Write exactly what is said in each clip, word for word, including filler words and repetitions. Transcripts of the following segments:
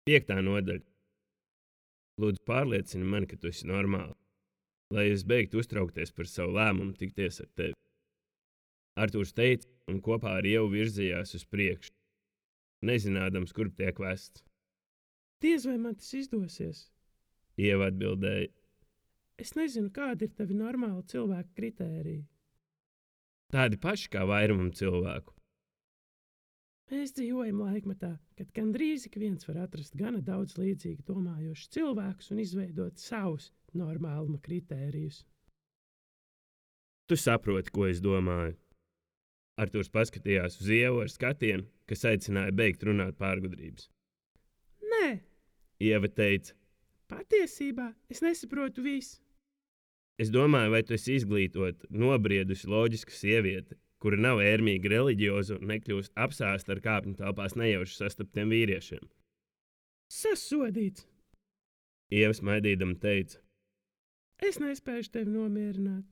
Piektā nodaļa. Lūdzu, pārliecini mani, ka tu esi normāli, lai es beigtu uztraukties par savu lēmumu tikties ar tevi. Artūrs teica, un kopā ar Ievu virzījās uz priekšu, nezinādams, kurp tiek vests. Diez vai man tas izdosies? Ieva atbildēja. Es nezinu, kādi ir tavi normāli cilvēku kritēriji. Tādi paši kā vairumam cilvēku. Mēs dzīvojam laikmetā, kad gandrīz ik viens var atrast gana daudz līdzīgi domājošus cilvēkus un izveidot savus normāluma kritērijus. Tu saproti, ko es domāju. Artūrs paskatījās uz Ievu ar skatienu, kas aicināja beigt runāt pārgudrības. Nē, Ieva teica. Patiesībā es nesaprotu visu. Es domāju, vai tu esi izglītota, nobriedusi loģiska sieviete, kura nav ērmīga reliģioza un nekļūst apsāsta ar kāpņu telpās nejauši sastaptiem vīriešiem. Sasodīts! Ieva smaidīdama teica. Es nespēju tevi nomierināt.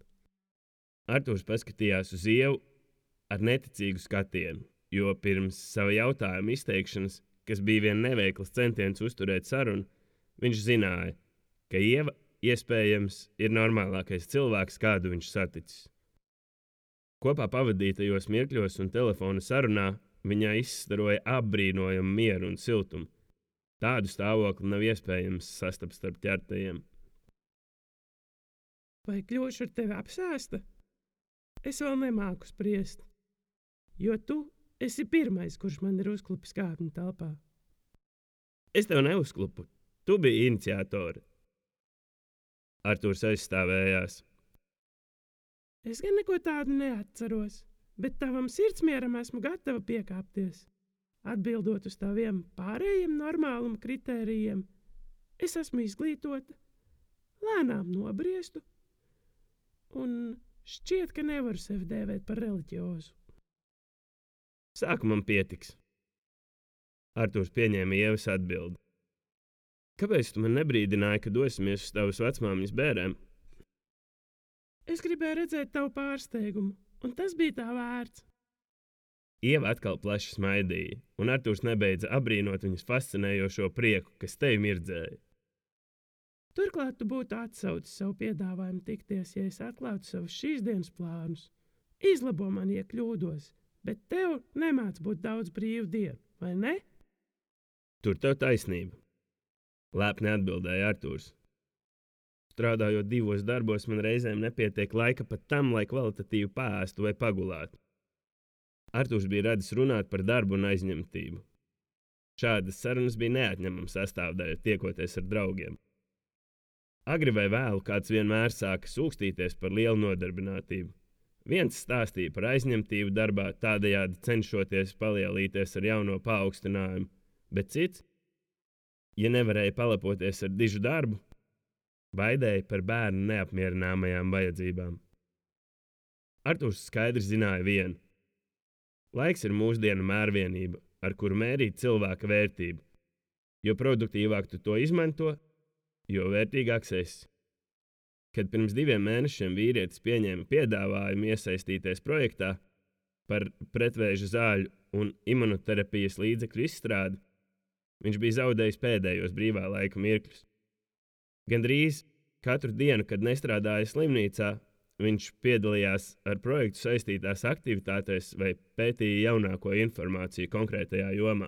Artūrs paskatījās uz Ievu ar neticīgu skatienu, jo pirms sava jautājuma izteikšanas, kas bija vien neveikls centiens uzturēt sarunu, viņš zināja, ka Ieva iespējams ir normālākais cilvēks, kādu viņš saticis. Kopā pavadītajos mirkļos un telefona sarunā viņā izstaroja apbrīnojumu mieru un siltumu. Tādu stāvokli nav iespējams sastapt starp ķertajiem. Vai kļūšu ar tevi apsēsta? Es vēl nemāku spriest, jo tu esi pirmais, kurš man ir uzklupis kāpņu telpā. Es tev neuzklupu, tu biji iniciatori. Artūrs aizstāvējās. Es gan neko tādu neatceros, bet tavam sirdsmieram esmu gatava piekāpties. Atbildot uz taviem pārējiem normāluma kritērijiem, es esmu izglītota, lēnām nobriestu un šķiet, ka nevaru sevi dēvēt par reliģiozu. Sākumam pietiks. Artūrs pieņēma Ievas atbildi. Kāpēc tu man nebrīdināji, ka dosimies uz tavas vecmāmiņas bērēm? Es gribēju redzēt tavu pārsteigumu, un tas bija tā vērts. Ieva atkal plaši smaidīja, un Artūrs nebeidza apbrīnot viņas fascinējošo prieku, kas tevi mirdzēja. Turklāt tu būtu atsaucis savu piedāvājumu tikties, ja es atklātu savus šīs dienas plānus. Izlabo man, ja kļūdos, bet tev nemāc būt daudz brīvu dienu, vai ne? Tur tev taisnība. Lēpni atbildēja Artūrs. Strādājot divos darbos, man reizēm nepietiek laika pat tam, lai kvalitatīvi pāēstu vai pagulētu. Artūrs bija radis runāt par darbu un aizņemtību. Šādas sarunas bija neatņemama sastāvdaļa tiekoties ar draugiem. Agri vai vēlu kāds vienmēr sāka sūkstīties par lielu nodarbinātību. Viens stāstīja par aizņemtību darbā, tādējādi cenšoties palielīties ar jauno paaugstinājumu, bet cits, ja nevarēja palapoties ar dižu darbu, baidēja par bērnu neapmierināmajām vajadzībām. Artūrs skaidri zināja vienu. Laiks ir mūsdienu mērvienība, ar kuru mērīt cilvēka vērtību. Jo produktīvāk tu to izmanto, jo vērtīgāks esi. Kad pirms diviem mēnešiem vīrietis pieņēma piedāvājumu iesaistīties projektā par pretvēža zāļu un imunoterapijas līdzekļu izstrādi, viņš bija zaudējis pēdējos brīvā laika mirkļus. Gandrīz katru dienu, kad nestrādāja slimnīcā, viņš piedalījās ar projektu saistītās aktivitātēs vai pētīja jaunāko informāciju konkrētajā jomā.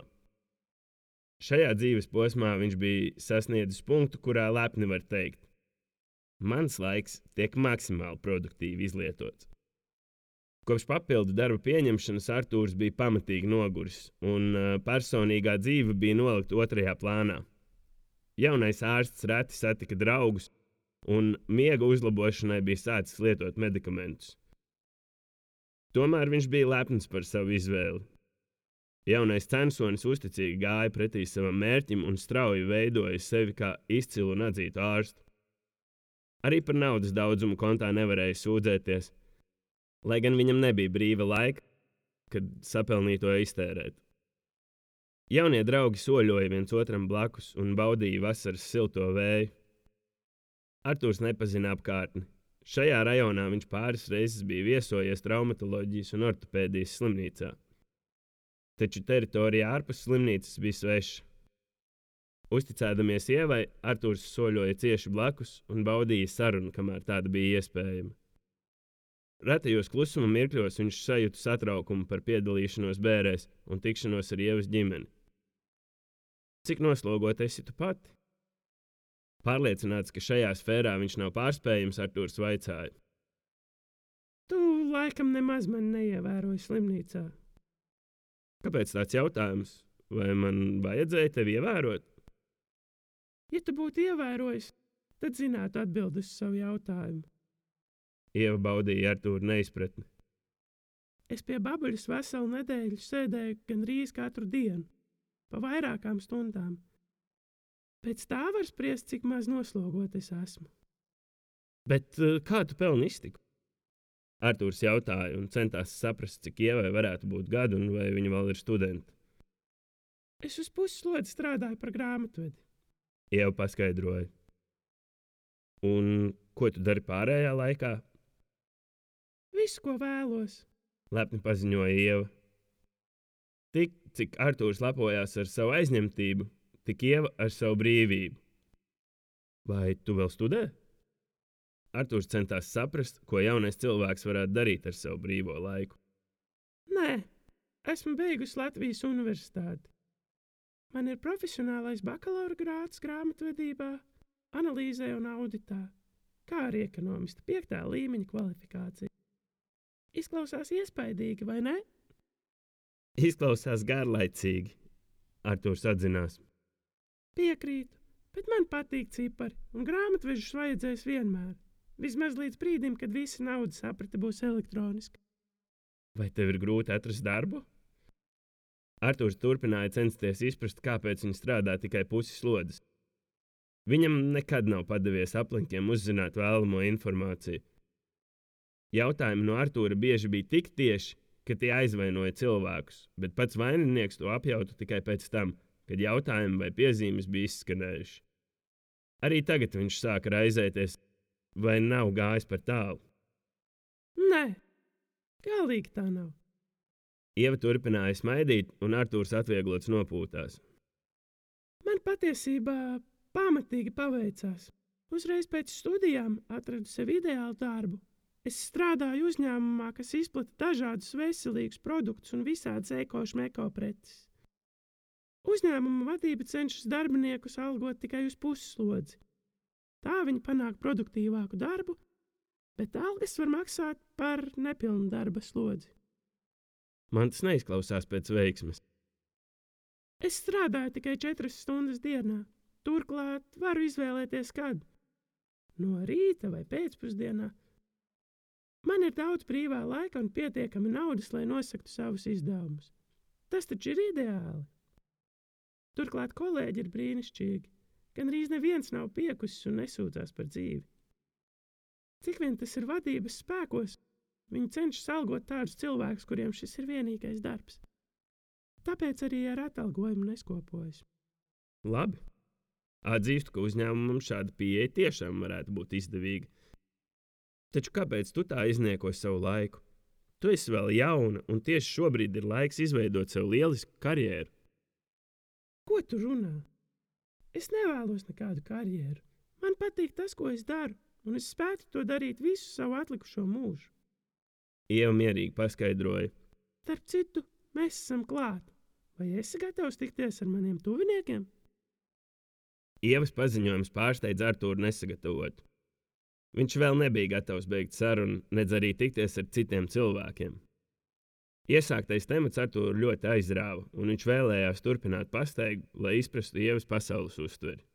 Šajā dzīves posmā viņš bija sasniedzis punktu, kurā lepni var teikt: mans laiks tiek maksimāli produktīvi izlietots. Kopš papildu darba pieņemšanas Artūrs bija pamatīgi noguris, un personīgā dzīve bija nolikta otrajā plānā. Jaunais ārsts reti satika draugus, un miega uzlabošanai bija sācis lietot medikamentus. Tomēr viņš bija lepns par savu izvēli. Jaunais censonis uzticīgi gāja pretī savam mērķim un strauji veidoja sevi kā izcilu un atzītu ārstu. Arī par naudas daudzumu kontā nevarēja sūdzēties, lai gan viņam nebija brīva laika, kad sapelnīto iztērēt. Jaunie draugi soļoja viens otram blakus un baudīja vasaras silto vēju. Artūrs nepazina apkārtni. Šajā rajonā viņš pāris reizes bija viesojies traumatoloģijas un ortopēdijas slimnīcā. Taču teritorija ārpus slimnīcas bija sveša. Uzticēdamies Ievai, Artūrs soļoja cieši blakus un baudīja sarunu, kamēr tāda bija iespējama. Retajos klusuma mirkļos viņš sajūta satraukumu par piedalīšanos bērēs un tikšanos ar Ievas ģimeni. Cik noslogota esi tu pati? Pārliecināts, ka šajā sfērā viņš nav pārspējams, Artūrs vaicāja. Tu laikam nemaz mani neievēroji slimnīcā. Kāpēc tāds jautājums? Vai man vajadzēja tevi ievērot? Ja tu būtu ievērojis, tad zinātu atbildi uz savu jautājumu. Ieva baudīja Artūra neizpratni. Es pie babuļas veselu nedēļu sēdēju gandrīz katru dienu, pa vairākām stundām. Pēc tā var spriest, cik maz noslogot es esmu. Bet kā tu pelni iztiku? Artūrs jautāja un centās saprast, cik Ievai varētu būt gadu un vai viņa vēl ir studenta. Es uz pusslodzi strādāju par grāmatvedi. Ieva paskaidroja. Un ko tu dari pārējā laikā? Visu, ko vēlos. Lepni paziņoja Ieva. Tik, cik Artūrs lepojās ar savu aizņemtību, tik Ieva ar savu brīvību. Vai tu vēl studē? Artūrs centās saprast, ko jaunais cilvēks varētu darīt ar savu brīvo laiku. Nē, esmu beigusi Latvijas universitāti. Man ir profesionālais bakalaura grāds grāmatvedībā, analīzē un auditā, kā arī ekonomista piektā līmeņa kvalifikācija. Izklausās iespaidīgi, vai ne? Izklausās garlaicīgi, Artūrs atzinās. Piekrītu, bet man patīk cipari, un grāmatvežus vajadzēs vienmēr. Vismaz līdz brīdim, kad visa naudas aprite būs elektroniska. Vai tev ir grūti atrast darbu? Artūrs turpināja censties izprast, kāpēc viņš strādā tikai pusi slodzes. Viņam nekad nav padevies aplinkiem uzzināt vēlamo informāciju. Jautājumi no Artūra bieži bija tik tieši, ka tie aizvainoja cilvēkus, bet pats vaininieks to apjautu tikai pēc tam, kad jautājumi vai piezīmes bija izskanējuši. Arī tagad viņš sāka raizēties, vai nav gājis par tālu. Nē, galīgi tā nav. Ieva turpināja smaidīt, un Artūrs atvieglots nopūtās. Man patiesībā pamatīgi paveicās. Uzreiz pēc studijām atradu sev ideālu darbu. Es strādāju uzņēmumā, kas izplata dažādus veselīgus produktus un visādas eko-šmeko preces. Uzņēmuma vadība cenšas darbiniekus algot tikai uz pusslodzi. Tā viņi panāk produktīvāku darbu, bet algas var maksāt par nepilnu darba slodzi. Man tas neizklausās pēc veiksmes. Es strādāju tikai četras stundas dienā. Turklāt varu izvēlēties kad. No rīta vai pēcpusdienā. Man ir daudz brīvā laika un pietiekami naudas, lai nosaktu savus izdevumus. Tas taču ir ideāli. Turklāt kolēģi ir brīnišķīgi. Gandrīz neviens nav piekusis un nesūdzās par dzīvi. Cik vien tas ir vadības spēkos, viņi cenšas algot tādus cilvēkus, kuriem šis ir vienīgais darbs. Tāpēc arī ar atalgojumu neskopojas. Labi. Atzīstu, ka uzņēmumam šāda pieeja tiešām varētu būt izdevīga. Taču kāpēc tu tā iznieko savu laiku? Tu esi vēl jauna, un tieši šobrīd ir laiks izveidot sev lielisku karjeru. Ko tu runā? Es nevēlos nekādu karjeru. Man patīk tas, ko es daru, un es spētu to darīt visu savu atlikušo mūžu. Ieva mierīgi paskaidroja. Starp citu, mēs esam klāt. Vai esi gatavs tikties ar maniem tuviniekiem? Ievas paziņojums pārsteidz Artūru nesagatavot. Viņš vēl nebija gatavs beigt sarunu, nedz arī tikties ar citiem cilvēkiem. Iesāktais temats Artūru ļoti aizrāva, un viņš vēlējās turpināt pasteigt, lai izprastu Ievas pasaules uztveri.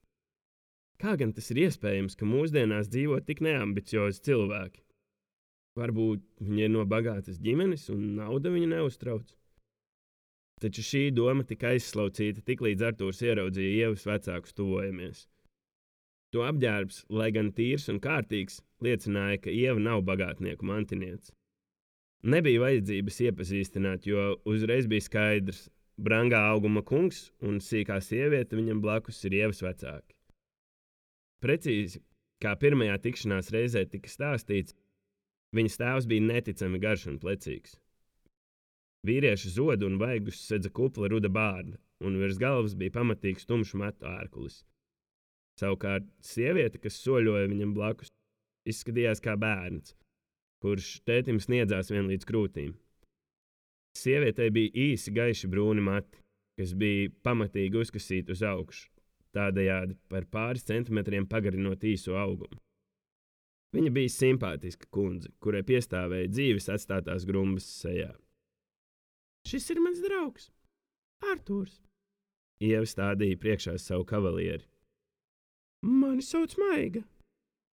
Kā gan tas ir iespējams, ka mūsdienās dzīvo tik neambiciozi cilvēki? Varbūt viņi ir no bagātas ģimenes un nauda viņu neuztrauc. Taču šī doma tika aizslaucīta tik līdz Artūrs ieraudzīja Ievas vecākus tuvojamies. To apģērbs, lai gan tīrs un kārtīgs, liecināja, ka Ieva nav bagātnieku mantiniece. Nebija vajadzības iepazīstināt, jo uzreiz bija skaidrs, brangā auguma kungs un sīkā sieviete viņam blakus ir Ievas vecāki. Precīzi, kā pirmajā tikšanās reizē tika stāstīts, viņas tēvs bija neticami garš un plecīgs. Vīrieša zodu un vaigus sedza kupla ruda bārda, un virs galvas bija pamatīgs tumšs matu ārkulis. Savukārt sieviete, kas soļoja viņam blakus, izskatījās kā bērns, kurš tētim sniedzās vien līdz krūtīm. Sievietei bija īsi gaiši brūni mati, kas bija pamatīgi uzkasīti uz augšu, tādējādi par pāris centimetriem pagarinot īso augumu. Viņa bija simpātiska kundze, kurai piestāvēja dzīves atstātās grumbas sejā. Šis ir mans draugs, Artūrs. Ieva stādīja priekšā savu kavalieri. Mani sauc Maiga.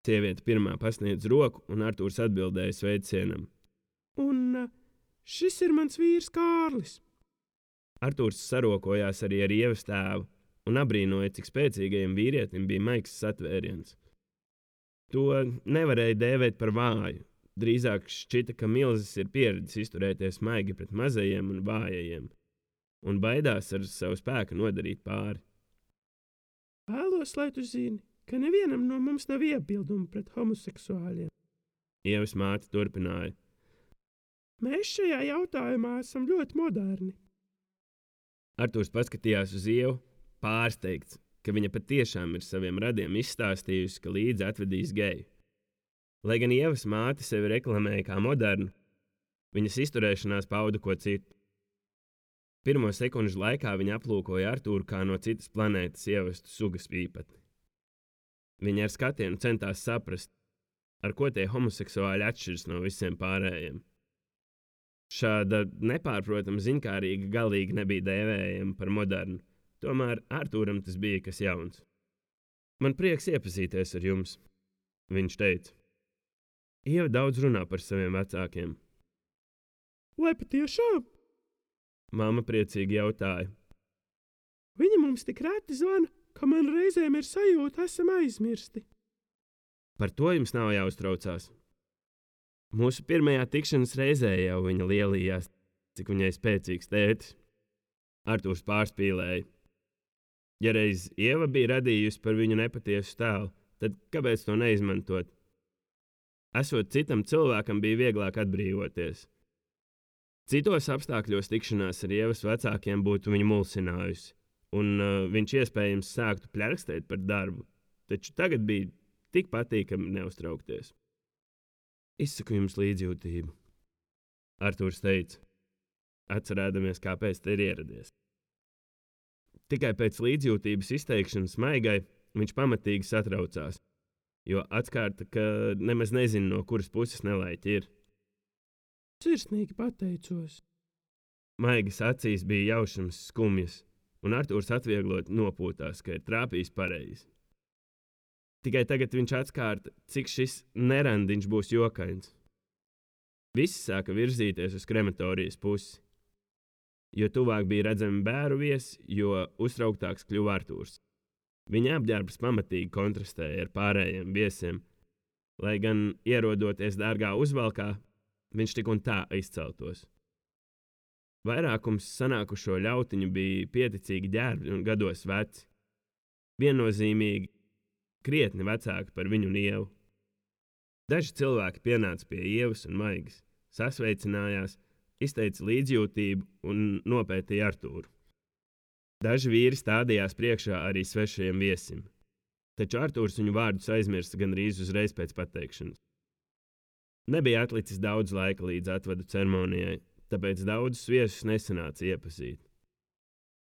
Sieviete pirmā pasniedz roku, un Artūrs atbildēja sveicienam. Un uh, šis ir mans vīrs Kārlis. Artūrs sarokojās arī ar Ievas tēvu un abrīnoja, cik spēcīgajam vīrietim bija maigs satvēriens. To nevarēja dēvēt par vāju. Drīzāk šķita, ka milzis ir pieredzis izturēties maigi pret mazajiem un vājajiem, un baidās ar savu spēku nodarīt pāri. Vēlos, lai tu zini, ka nevienam no mums nav iebildumu pret homoseksuāļiem. Ievas māte turpināja. Mēs šajā jautājumā esam ļoti moderni. Artūrs paskatījās uz Ievu, pārsteigts, ka viņa patiešām ir saviem radiem izstāstījusi, ka līdzi atvedīs geju. Lai gan Ievas māte sevi reklamēja kā modernu, viņas izturēšanās pauda ko citu. Pirmo sekundžu laikā viņa aplūkoja Artūru kā no citas planētas ievestu sugas īpatni. Viņa ar skatienu centās saprast, ar ko tie homoseksuāļi atšķiras no visiem pārējiem. Šāda nepārprotama ziņkārīga galīgi nebija dēvējama par modernu, tomēr Artūram tas bija kas jauns. Man prieks iepazīties ar jums, viņš teica. Ieva daudz runā par saviem vecākiem. Vai patiešām? Mamma priecīgi jautāja. Viņa mums tik reti zvana, ka man reizēm ir sajūta, esam aizmirsti. Par to jums nav jāuztraucās. Mūsu pirmajā tikšanas reizē jau viņa lielījās, cik viņai spēcīgs tētis. Artūrs pārspīlēja. Ja reiz Ieva bija radījusi par viņu nepatiesu tēlu, tad kāpēc to neizmantot? Esot citam cilvēkam bija vieglāk atbrīvoties. Citos apstākļos tikšanās ar Ievas vecākiem būtu viņu mulsinājusi, un uh, viņš iespējams sāktu pļarkstēt par darbu, taču tagad bija tik patīkami neuztraukties. Izsaku jums līdzjūtību, Artūrs teica, atcerēdamies, kāpēc te ir ieradies. Tikai pēc līdzjūtības izteikšanas Maigai viņš pamatīgi satraucās, jo atskārta, ka nemaz nezina, no kuras puses nelaiķi ir. Sirsnīgi pateicos. Maigas acīs bija jaušams skumjas, un Artūrs atvieglot nopūtās, ka ir trāpījis pareizi. Tikai tagad viņš atskārta, cik šis nerandiņš būs jokains. Visi sāka virzīties uz krematorijas pusi. Jo tuvāk bija redzami bēru viesi, jo uztrauktāks kļuva Artūrs. Viņa apģērbs pamatīgi kontrastēja ar pārējiem viesiem, lai gan ierodoties dārgā uzvalkā, viņš tik un tā izceltos. Vairākums sanākušo ļautiņu bija pieticīgi ģērbļi un gados veci. Viennozīmīgi krietni vecāki par viņu un Ievu. Daži cilvēki pienāca pie Ievas un Maigas, sasveicinājās, izteica līdzjūtību un nopētīja Artūru. Daži vīri stādījās priekšā arī svešajiem viesim, taču Artūrs viņu vārdus aizmirsta gandrīz uzreiz pēc pateikšanas. Nebija atlicis daudz laika līdz atvadu ceremonijai, tāpēc daudzus viesus nesanāca iepazīt.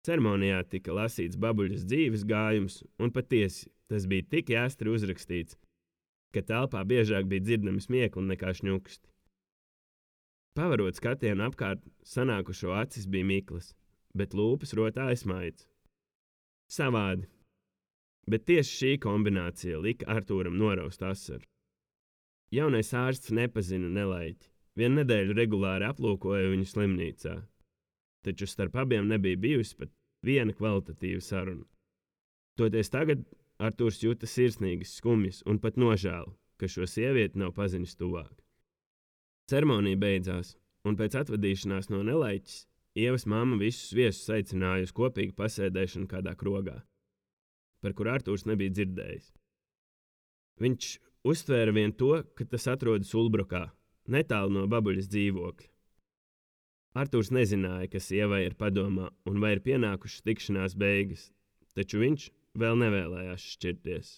Ceremonijā tika lasīts babuļas dzīves gājums, un patiesi tas bija tik jāstri uzrakstīts, ka telpā biežāk bija dzirdami smiekli nekā šņuksti. Pavarot skatienu apkārt, sanākušo acis bija miklas, bet lūpas rotāja smaids. Savādi, bet tieši šī kombinācija lika Artūram noraust asaru. Jaunais ārsts nepazina nelaiķi, vienu nedēļu regulāri aplūkoja viņu slimnīcā, taču starp abiem nebija bijusi pat viena kvalitatīva saruna. Toties tagad Artūrs jūta sirsnīgas skumjas un pat nožēlu, ka šo sievieti nav pazinis tuvāk. Ceremonija beidzās, un pēc atvadīšanās no nelaiķis Ievas mamma visus viesus aicināja uz kopīgu pasēdēšanu kādā krogā, par kur Artūrs nebija dzirdējis. Viņš uztvēra vien to, ka tas atrodas Ulbrokā, netālu no babuļas dzīvokļa. Artūrs nezināja, kas sievai ir padomā un vai ir pienākušas tikšanās beigas, taču viņš vēl nevēlējās šķirties.